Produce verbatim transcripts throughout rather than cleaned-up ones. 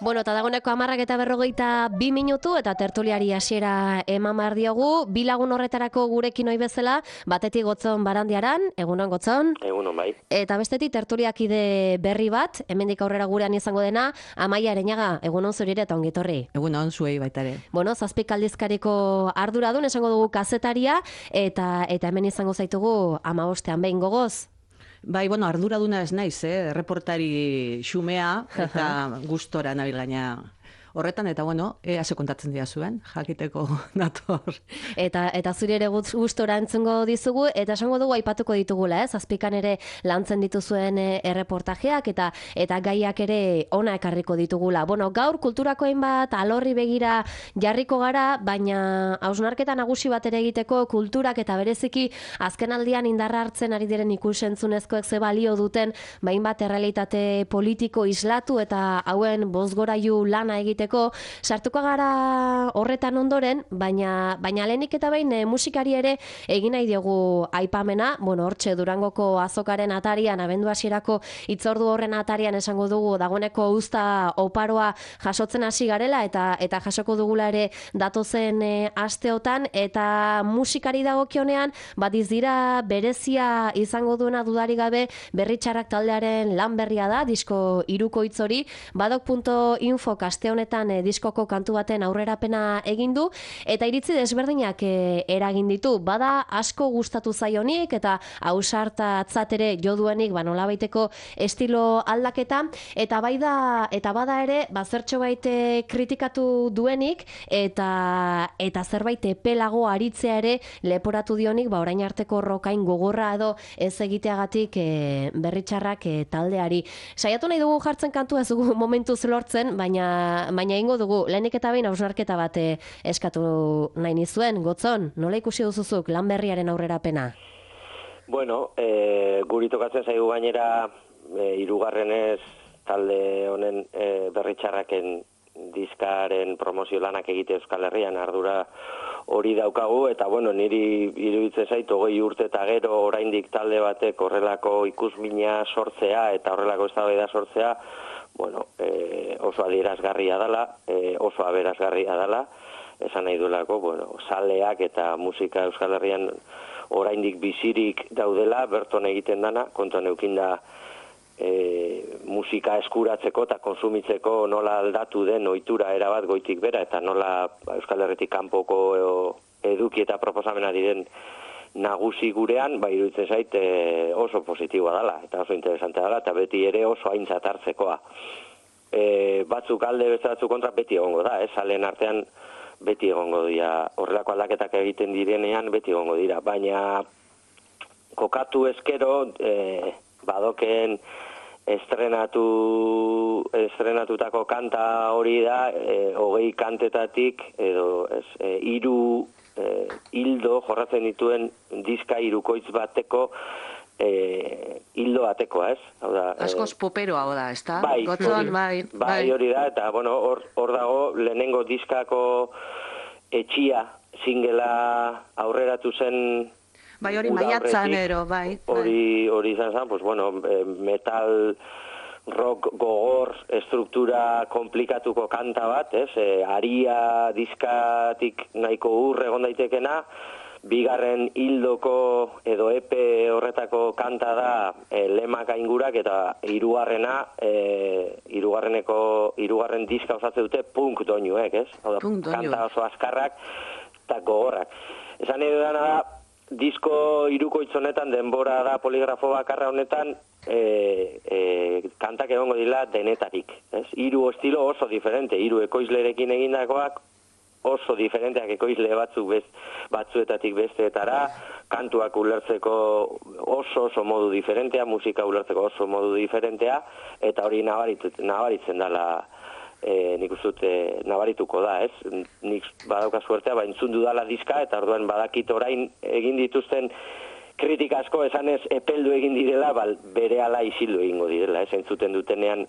Bueno, eta dagoeneko hamarrak eta berrogeita bi minutu eta tertuliari hasiera eman behar diogu. Bi lagun horretarako gurekin ohi bezala, batetik Gotzon Barandiaran, egunon Gotzon. Egunon bai. Eta bestetik tertuliakide berri bat, hemendik aurrera gurean izango dena, Amaia Areñaga, egunon zurire eta ongitorri. Egunon zuei baita ere. Bueno, zazpik aldizkariko arduradun, esango dugu kazetaria, eta eta hemen izango zaitugu hamabostean behin gogoz. Bai, bueno, arduraduna ez naiz, eh? Reportari xumea eta gustora nabil gaina horretan, eta bueno, ea ze kontatzen dira zuen, jakiteko nator. Eta eta zuri ere gustora entzungo dizugu, eta esango dugu aipatuko ditugula, ez? Azpikan ere lantzen dituzuen erreportajeak eta eta gaiak ere ona ekarriko ditugula. Bueno, gaur kulturako hainbat alorri begira jarriko gara, baina hausnarketa nagusi bat ere egiteko kulturak eta bereziki azkenaldian indarra hartzen ari diren ikusentzunezkoek ze balio duten, hainbat errealitate politiko islatu eta hauen bozgorailu lana egite sartuko gara horretan ondoren, baina baina lehenik eta behin e, musikari ere egin nahi diogu aipamena. Bueno, hortxe Durangoko azokaren atarian, abendu hasierako hitzordu horren atarian esango dugu dagoeneko uzta oparoa jasotzen hasi garela eta eta jasoko dugula ere datozen e, asteotan, eta musikari dagokionean badiz dira berezia izango duena dudari gabe Berritxarrak taldearen lan berria da, disko hirukoitz hori, badok puntu info aste honetan E, diskoko kantu baten aurrerapena egin du, eta iritzi desberdinak e, eragin ditu. Bada asko gustatu zaionik eta ausartatzat ere jo duenik, ba nolabaiteko estilo aldaketa, eta bai da eta bada ere ba zertxo baite kritikatu duenik eta eta zerbait epelago aritzea ere leporatu dionik, ba orain arteko rokain gogorra edo ez egiteagatik e, Berritxarrak e, taldeari. Saiatu nahi dugu jartzen kantu ez dugu momentuz lortzen, baina baina ingo dugu, lehenik eta behin hausnarketa bat eskatu nahi nizuen. Gotzon, nola ikusi duzuzuk lan berriaren aurrerapena? Bueno, e, guri tokatzen zaigu gainera e, hirugarrenez talde honen e, Berritxarraken diskaren promozio lanak egite Euskal Herrian ardura hori daukagu, eta bueno, niri iruditzen zait hogei urte eta gero oraindik talde batek horrelako ikusmina sortzea eta horrelako eztabaida sortzea, bueno, eh, oso adierazgarria dela, eh, oso aberazgarria dela, esan nahi duelako, bueno, saleak eta musika Euskal Herrian oraindik bizirik daudela, berton egiten dana, kontuan eukinda e, musika eskuratzeko eta konsumitzeko nola aldatu den ohitura erabat goitik bera, eta nola Euskal Herritik kanpoko eduki eta proposamena diren nagusi gurean, bai iruditzen zait e, oso positiboa dela, eta oso interesantea dela, eta beti ere oso aintzat hartzekoa. E, batzuk alde, beste batzuk kontra beti egongo da, ez, salen artean beti egongo dira, horrelako aldaketak egiten direnean beti egongo dira, baina kokatu ezkero e, badoken estrenatu estrenatutako kanta hori da, e, hogei kantetatik edo ez, e, hiru E, hildo jorratzen dituen diska hirukoitz bateko e, hildo bateko, ez? Hau da, askoz poperoa hau da, ezta? Bai, Gotzon, bai, bai, bai, hori da, eta bueno, hor, hor dago lehenengo diskako etxia singela aurreratu zen. Bai, hori maiatzan ero, bai. Hori, hori izan zen, pues bueno, metal rock gogor, estruktura komplikatuko kanta bat, ez? E, aria diskatik nahiko ur egon daitekena, bigarren hildoko edo epe horretako kanta da e, lemak aingurak, eta hirugarrena e, hirugarreneko hirugarren diska osatze dute punk doinuek, ez? Hau da, kanta oso azkarrak eta gogorrak. Esan edo dana da, disko hirukoitz honetan, denbora da poligrafo bakarra honetan, E, e, kantak egongo dira denetarik, ez? Hiru estilo oso diferente, hiru ekoizlerekin egindakoak oso diferenteak, ekoizle batzuk bez, batzuetatik besteetara, kantuak ulertzeko oso oso modu diferentea, musika ulertzeko oso modu diferentea, eta hori nabaritzen dela, e, nik uste dut nabarituko da, ez? Nik badauka suertea, ba, entzun dudala diska, eta orduan badakit orain egin dituzten kritika asko esanez epeldu egin direla, bal, bere ala isildu egingo direla, ez, entzuten dutenean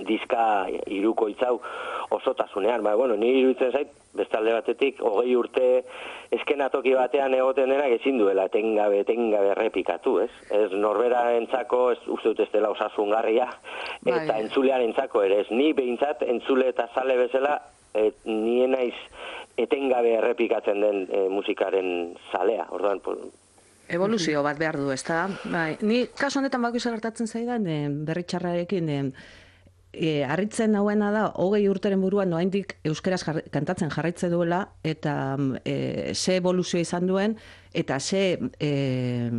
diska hirukoitz hau. osotasunean. Ba, bueno, niri iruditzen zait, bestalde batetik, hogei urte eskenatoki batean egoten denak ezin duela etengabe, etengabe errepikatu, ez? Ez norbera entzako, ez uste dut ez dela osasungarria, eta bai. entzulean entzako ere, ez ni behintzat entzule eta zale bezala, et, nien naiz etengabe errepikatzen den e, musikaren zalea, orduan, pues, Evoluzio bat behar du, ezta? Bai, ni kasu honetan bakoitza gertatzen zaidan eh, berritxarrarekin eh, eh, harritzen hauena da hogei urteren buruan noaindik euskaraz jar, kantatzen jarraitze duela eta eh, ze evoluzio izan duen eta ze eh,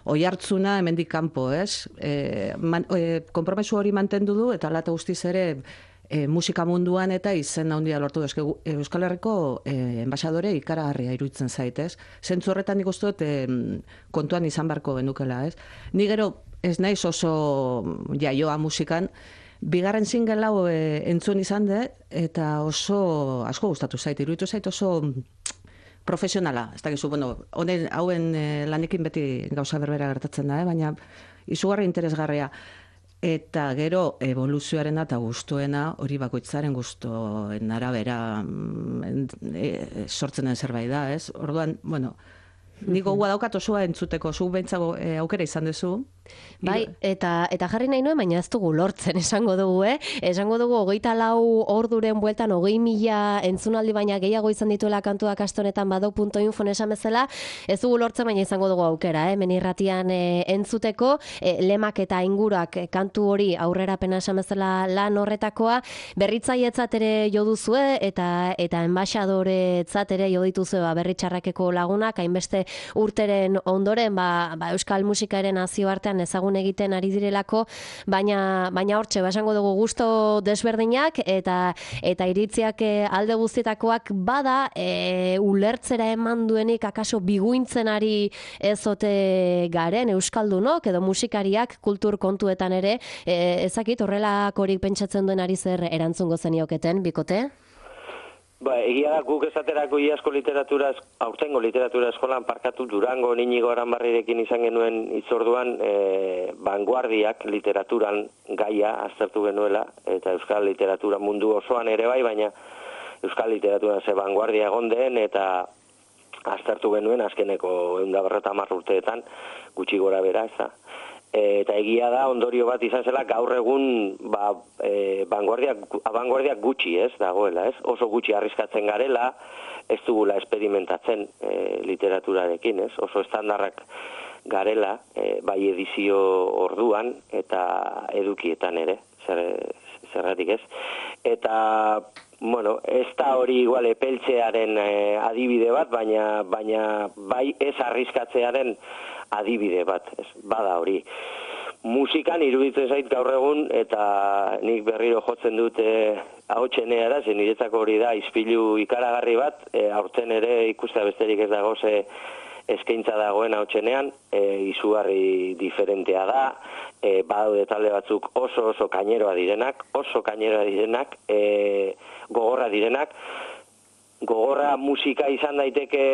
oihartzuna hemendik kanpo, ez? Eh, man, eh, konpromesu hori mantendu du eta hala eta guztiz ere E, musika munduan eta izen handia lortu du. Euskal Herriko e, enbaxadore ikaragarria iruditzen zaitez. Zentzu horretan nik uste dut e, kontuan izan beharko genukela, ez? Ni gero ez naiz oso jaioa musikan, bigarren single hau e, entzun izan dut eta oso asko gustatu zait, iruditu zait oso profesionala. Ez dakizu, bueno, honen hauen e, lanekin beti gauza berbera gertatzen da, eh? Baina izugarri interesgarria. Eta gero evoluzioaren eta gustuena hori bakoitzaren gustoen arabera e, sortzen den zerbait da, ez? Orduan, bueno, nik gogoa daukat osoa entzuteko, zu beintzago e, aukera izan duzu. Bai, eta eta jarri nahi nuen, baina ez dugu lortzen, esango dugu, eh? Esango dugu, hogeita lau orduren bueltan, hogei mila entzunaldi baina gehiago izan dituela kantuak astonetan badok puntu info esan bezala, ez dugu lortzen, baina izango dugu aukera, eh? Menirratian e, entzuteko, e, lemak eta ingurak e, kantu hori aurrerapena esan bezala lan horretakoa, berritzailetzat ere jo duzue, eta eta enbaxadoretzat ere jo dituzue ba, berritxarrakeko lagunak, hainbeste urteren ondoren, ba, ba, euskal musikaren nazioartean ezagun egiten ari direlako, baina baina hortxe, basango dugu gusto desberdinak eta eta iritziak alde guztietakoak bada e, ulertzera eman duenik akaso biguintzen ari ezote garen euskaldunok edo musikariak kultur kontuetan ere, e, ezakit horrelakorik pentsatzen duen ari zer erantzungo zenioketen, bikote? Ba, egia da guk esaterako iazko literatura, aurtengo literatura eskolan parkatu Durango Inigo Aranbarrirekin izan genuen itzorduan e, vanguardiak literaturan gaia aztertu genuela, eta euskal literatura mundu osoan ere bai, baina euskal literaturan ze vanguardia egon den, eta aztertu genuen azkeneko ehun eta berrogeita hamar urteetan gutxi gora bera, ez da. Eta egia da ondorio bat izan zela gaur egun ba, e, vanguardiak gutxi ez dagoela, ez? Oso gutxi arriskatzen garela, ez dugula esperimentatzen e, literaturarekin, ez? Oso estandarrak garela, e, bai edizio orduan eta edukietan ere, zer, zergatik ez. Eta, bueno, ez da hori igual epeltzearen e, adibide bat, baina, baina bai ez arriskatzearen adibide bat, ez, bada hori. Musikan iruditzen zait gaur egun, eta nik berriro jotzen dut e, ahotsenea da, zen niretzako hori da, izpilu ikaragarri bat, e, aurten ere ikustea besterik ez dago ze eskaintza dagoen ahotsenean, e, izugarri diferentea da, e, badaude talde batzuk oso oso kaineroa direnak, oso kaineroa direnak, e, gogorra direnak, gogorra musika izan daiteke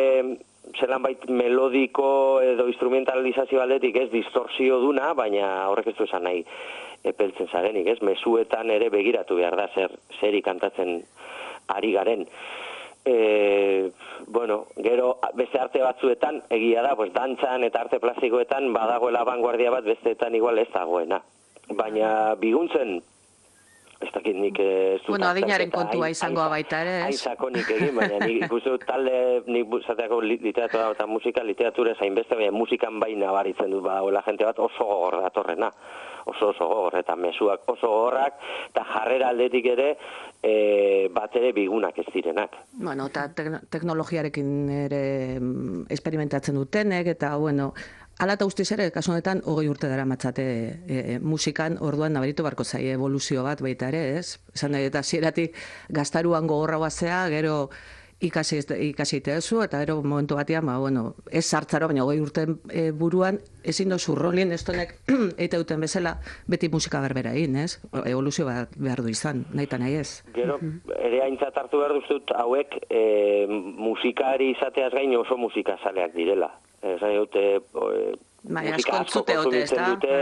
zelan bait melodiko edo instrumentalizazio aldetik ez distorsio duna, baina horrek ez du esan nahi epeltzen zarenik, ez? Mezuetan ere begiratu behar da zer zeri kantatzen ari garen. E, bueno, gero beste arte batzuetan egia da, pues dantzan eta arte plastikoetan badagoela vanguardia bat besteetan igual ez dagoena. Baina biguntzen ez dakit nik ez dut... Bueno, adinaren kontua izangoa baita ere, ez? Aizako nik egin, baina nik ikustu talde, nik zateako literatura eta musika, literatura zain beste, baina musikan baina baritzen dut badagoela jente bat oso gogor datorrena, oso oso gogor, eta mezuak oso gogorrak, eta jarrera aldetik ere, e, bat ere bigunak ez direnak. Bueno, eta teknologiarekin ere experimentatzen dutenek, eta, bueno... Hala eta guztiz ere, kasu honetan, hogei urte dara matzate e, e, musikan, orduan nabaritu barko zai evoluzio bat baita ere, ez? Esan nahi, eta zieratik gaztaruan gogorra guazea, gero ikasi, ikasi itezu, eta gero momentu batean, ba, bueno, ez sartzaro, baina hogei urte e, buruan, ezin dozu rolin, ez tonek eite duten bezala, beti musika berbera egin, ez? Evoluzio bat behar du izan, nahi eta nahi ez. Gero, ere haintzat hartu behar duztut, hauek e, musikari izateaz gain oso musikazaleak direla. Esan dute, musika asko kontsumitzen dute,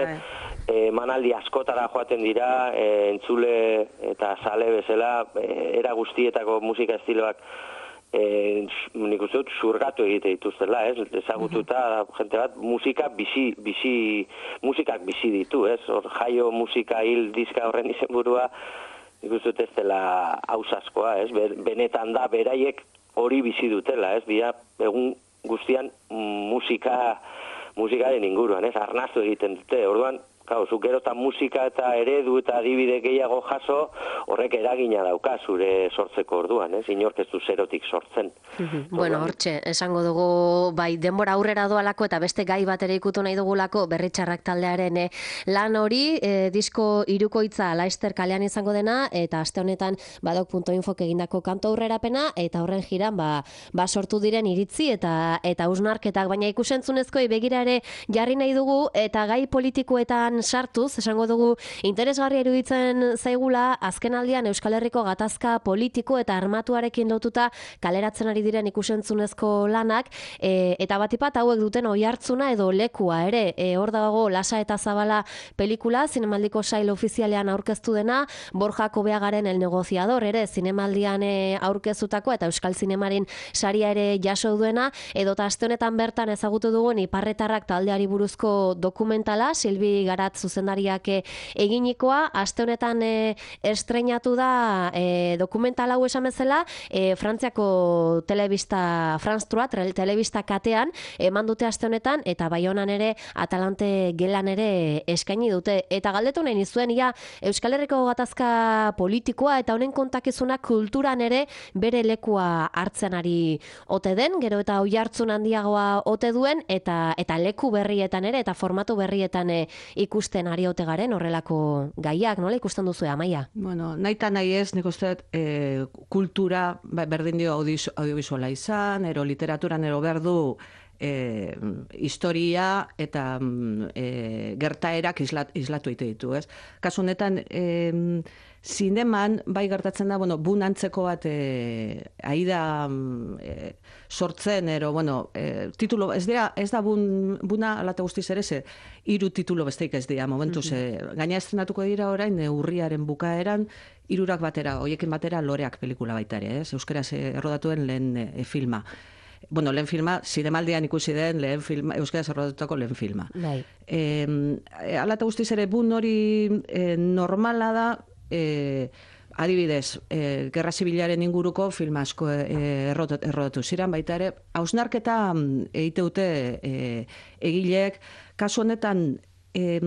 emanaldi askotara joaten dira, e, entzule eta sale bezala, e, era guztietako musika estiloak e, nik uste dut zurgatu egite dituztela, ez? Ezagututa jente bat musika bizi, bizi, musikak bizi ditu, ez? Hor jaio musika hil diska horren izenburua, nik uste dut ez dela hausaskoa, ez? Benetan da beraiek hori bizi dutela, ez? Dira egun guztian musika musikaren inguruan, ez? Arnastu egiten dute. Orduan, Kau, zuk gero eta musika eta eredu eta adibide gehiago jaso, horrek eragina dauka zure sortzeko orduan, ez? Inork ez du zerotik sortzen. Bueno, hortxe, esango dugu, bai, denbora aurrera doalako eta beste gai bat ere ikutu nahi dugulako Berritxarrak taldearen eh, lan hori, eh, disko hirukoitza Laister kalean izango dena, eta aste honetan badok punto infok egindako kantu aurrerapena, eta horren jiran, ba, ba sortu diren iritzi eta eta hausnarketak, baina ikusentzunezkoei begira ere jarri nahi dugu, eta gai politikoetan sartuz, esango dugu, interesgarria iruditzen zaigula, azken aldian Euskal Herriko gatazka politiko eta armatuarekin lotuta kaleratzen ari diren ikusentzunezko lanak, e, eta batipat hauek duten oihartzuna edo lekua ere, e, hor dago Lasa eta Zabala pelikula, zinemaldiko sail ofizialean aurkeztu dena, Borja Kobeagaren El Negociador ere, zinemaldian e, aurkeztutako eta Euskal Zinemaren saria ere jaso duena, edota aste honetan bertan ezagutu dugun Iparretarrak taldeari buruzko dokumentala, Silbi Garat zuzendariak eginikoa, aste honetan e, estreinatu da e, dokumental hau esan bezala, e, Frantziako telebista, France trois, telebista katean, eman dute aste honetan, eta Baionan ere, Atalante gelan ere eskaini dute. Eta galdetu nahi nizuen, ia, Euskal Herriko gatazka politikoa eta honen kontakizuna kulturan ere bere lekua hartzen ari ote den, gero eta oihartzun handiagoa ote duen, eta eta leku berrietan ere, eta formatu berrietan e, ikusten ari ote garen horrelako gaiak, nola ikusten duzu, Amaia? Bueno, nahi eta nahi ez, nik uste e, kultura, berdin dio audiovisuala izan, ero literaturan ero berdu e, historia eta e, gertaerak islat, islatu ite ditu, ez? Kasu honetan, e, zineman, bai gertatzen da, bueno, bun antzeko bat e, aida e, sortzen, ero, bueno, e, titulo, ez dira, ez da bun, buna alate guztiz ere, ze, hiru titulo besteik ez dira, momentu, ze, gaina estrenatuko dira orain, e, urriaren bukaeran, hirurak batera, hoiekin batera, Loreak pelikula baita ere, ez? Euskaraz errodatuen lehen e, filma. Bueno, lehen filma, zinemaldian ikusi den lehen filma, euskaraz errodatutako lehen filma. Bai. E, alate guztiz ere, bun hori e, normala da, E, adibidez, e, Gerra Zibilaren inguruko film asko e, errodatu, errodatu ziren, baita ere, hausnarketa egite dute e, egileek, kasu honetan e,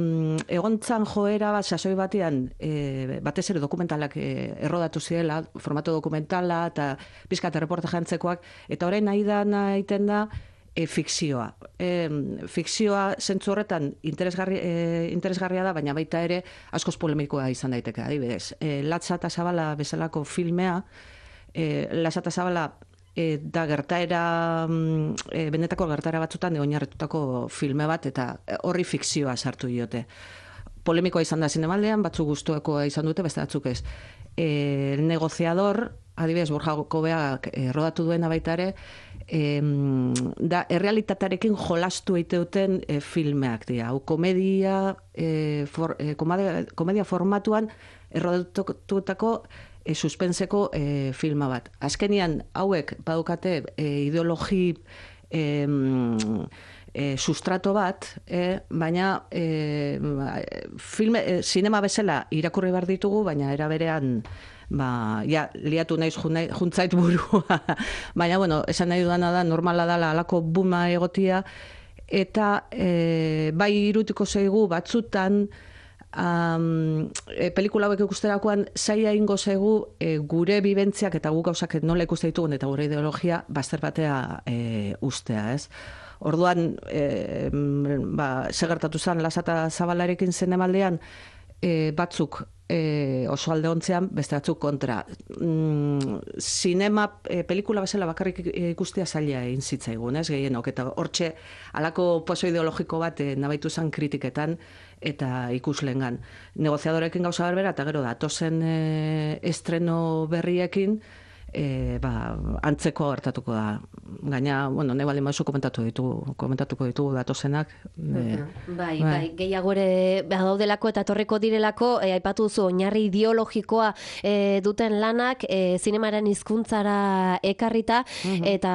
egontzan joera bat, sasoi batean, e, batez ere dokumentalak e, errodatu zirela, formato dokumentala, eta pizkat erreportaje antzekoak, eta orain nahi da, nahiten da, E, fikzioa. E, fikzioa zentzu horretan interesgarri, e, interesgarria da, baina baita ere askoz polemikoa izan daiteke, adibidez. E, Latza eta Zabala bezalako filmea, e, Latza eta Zabala e, da gertaera, e, benetako gertaera batzutan oinarritutako filme bat, eta horri fikzioa sartu diote. Polemikoa izan da zinemaldean, batzuk gustukoa izan dute, beste batzuk ez. E, El Negociador, adibidez, Borja Kobeak e, rodatu duena baita ere, E, da errealitatearekin jolastu eiteuten e, filmeak dira. Hau komedia, e, for, e, komedia, komedia formatuan errodatutako e, suspenseko e, filma bat. Azkenian hauek badukate e, ideologi e, e, sustrato bat, e, baina e, filme, e, sinema bezala irakurri behar ditugu, baina era berean ba, ja, liatu naiz juntzait burua. Baina, bueno, esan nahi dudana da, normala dala alako buma egotia, eta e, bai irutiko zaigu batzutan, um, e, pelikula hauek ikusterakoan, zaila ingo zaigu e, gure bibentziak eta guk gauzak nola ikuste ditugun eta gure ideologia bazter batea e, ustea, ez? Orduan, e, ba, segertatu zen, Lasa eta Zabalarekin zinemaldean, e, batzuk e, oso alde ontzean, beste batzuk kontra. Mm, sinema, e, pelikula bezala bakarrik ikustea zaila egin zitzaigun, ez, gehienok, eta hortxe alako poso ideologiko bat e, nabaitu zen kritiketan eta ikuslengan. Negoziadorekin gauza berbera, eta gero datozen e, estreno berriekin, e, ba, antzeko gertatuko da. Gaina, bueno, nahi baldin maizu komentatu ditugu, komentatuko ditugu datozenak. E, bai, bai, bai, gehiago ere badaudelako eta etorriko direlako, e, aipatu duzu, oinarri ideologikoa e, duten lanak, e, zinemaren hizkuntzara ekarrita, uh-huh. eta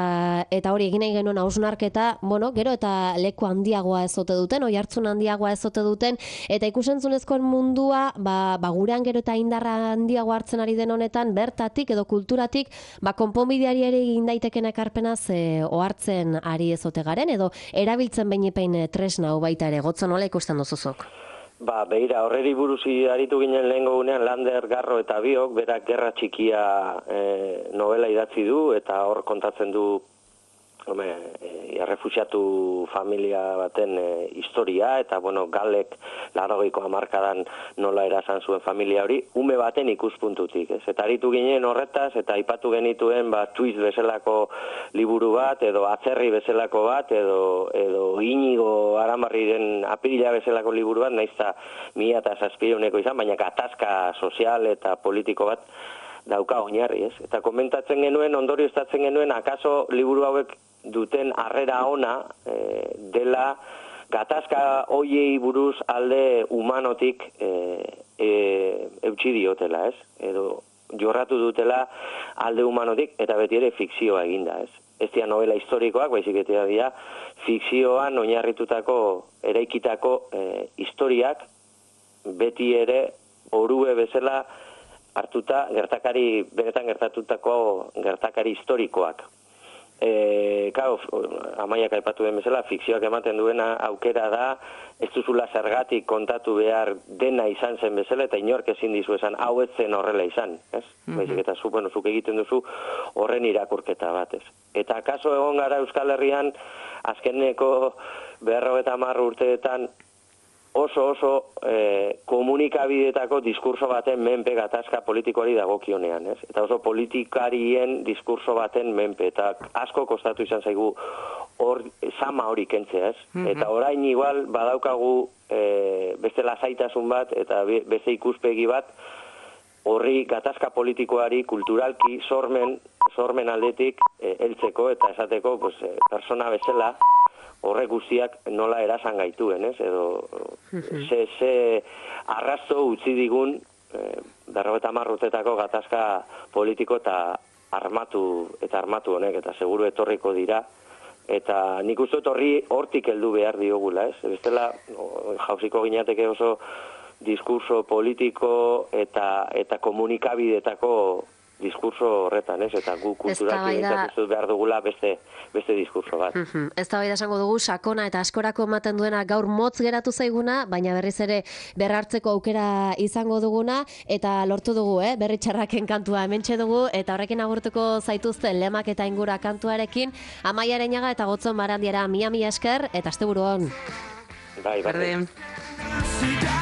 eta hori egin nahi genuen hausnarketa, bueno, gero eta leku handiagoa ezote duten, oihartzun handiagoa ezote duten, eta ikusentzunezkoen mundua, ba, ba gurean gero eta indarra handiago hartzen ari den honetan, bertatik edo kulturatik, ba, konponbideari ere egin daiteken ekarpenaz e, ohartzen ari ezote garen, edo erabiltzen behinepein tresna hau baita ere, gotzo nola ikusten duzuzok? Ba, behira, horreri buruzi aritu ginen lehengo gunean Lander, Garro eta biok, berak Gerra Txikia e, novela idatzi du, eta hor kontatzen du Home, e, errefuxiatu familia baten e, historia, eta, bueno, Galek laurogeiko hamarkadan nola erasan zuen familia hori, ume baten ikuspuntutik, ez? Eta aritu ginen horretaz, eta aipatu genituen, ba, Twist bezalako liburu bat, edo Atzerri bezalako bat, edo, edo Inigo Aramarriren Apirila bezalako liburu bat, naizta mila eta zazpireuneko izan, baina gatazka sozial eta politiko bat dauka oinarri, ez? Eta komentatzen genuen, ondorioztatzen genuen, akaso liburu hauek duten harrera ona e, dela gatazka hoiei buruz alde humanotik e, e, eutxi diotela, ez? Edo jorratu dutela alde humanotik eta beti ere fikzioa eginda, ez? Ez dira novela historikoak, baizik eta dira fikzioan oinarritutako eraikitako e, historiak beti ere orue bezala hartuta gertakari, benetan gertatutako gertakari historikoak. E, Kao, Amaiak aipatu den bezala, fikzioak ematen duena aukera da, ez duzula zergatik kontatu behar dena izan zen bezala, eta inork ezin dizu esan, hau ez zen horrela izan, ez? Mm-hmm. Baizik eta zu, bueno, zuk egiten duzu horren irakurketa bat, ez? Eta kaso egon gara Euskal Herrian, azkeneko berrogeita hamar urteetan, oso oso e, komunikabidetako diskurso baten menpe gatazka politikoari dagokionean, ez? Eta oso politikarien diskurso baten menpe, eta asko kostatu izan zaigu hor sama hori kentzea, ez? Mm-hmm. Eta orain igual badaukagu e, beste lasaitasun bat, eta beste ikuspegi bat, horri gatazka politikoari kulturalki sormen, sormen aldetik e, heltzeko eta esateko pues, e, persona bezala, horrek guztiak nola erasan gaituen, ez? Edo ze, ze arrasto utzi digun eh, berrogeita hamar urtetako gatazka politiko eta armatu eta armatu honek, eta seguru etorriko dira. Eta nik uste horri hortik heldu behar diogula, ez? Bestela jauziko ginateke oso diskurso politiko eta eta komunikabidetako diskurso horretan, ez? Eta gu kulturalki behintzat behar dugula beste, beste diskurso bat. Uh-huh. Ez da bai da esango dugu, sakona eta askorako ematen duena gaur motz geratu zaiguna, baina berriz ere berrartzeko aukera izango duguna, eta lortu dugu, eh? Berri txarraken kantua hementxe dugu, eta horrekin agurtuko zaituzten lemak eta ingura kantuarekin, Amaia Areñaga eta Gotzon Barandiara mia mila esker, eta asteburu on. Bai, bai.